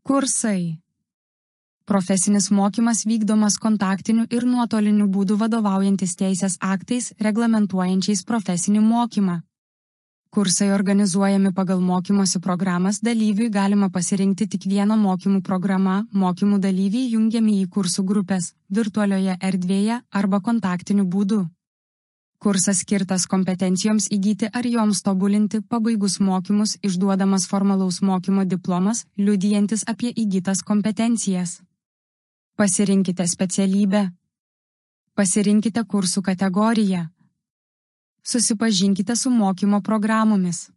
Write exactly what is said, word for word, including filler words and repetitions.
Kursai. Profesinis mokymas vykdomas kontaktiniu ir nuotoliniu būdu vadovaujantis teisės aktais reglamentuojančiais profesinį mokymą. Kursai organizuojami pagal mokymosi programas, dalyviui galima pasirinkti tik vieną mokymų programą, mokymų dalyviai jungiami į kursų grupės, virtualioje erdvėje arba kontaktiniu būdu. Kursas skirtas kompetencijoms įgyti ar joms tobulinti, pabaigus mokymus išduodamas formalaus mokymo diplomas, liudijantis apie įgytas kompetencijas. Pasirinkite specialybę. Pasirinkite kursų kategoriją. Susipažinkite su mokymo programomis.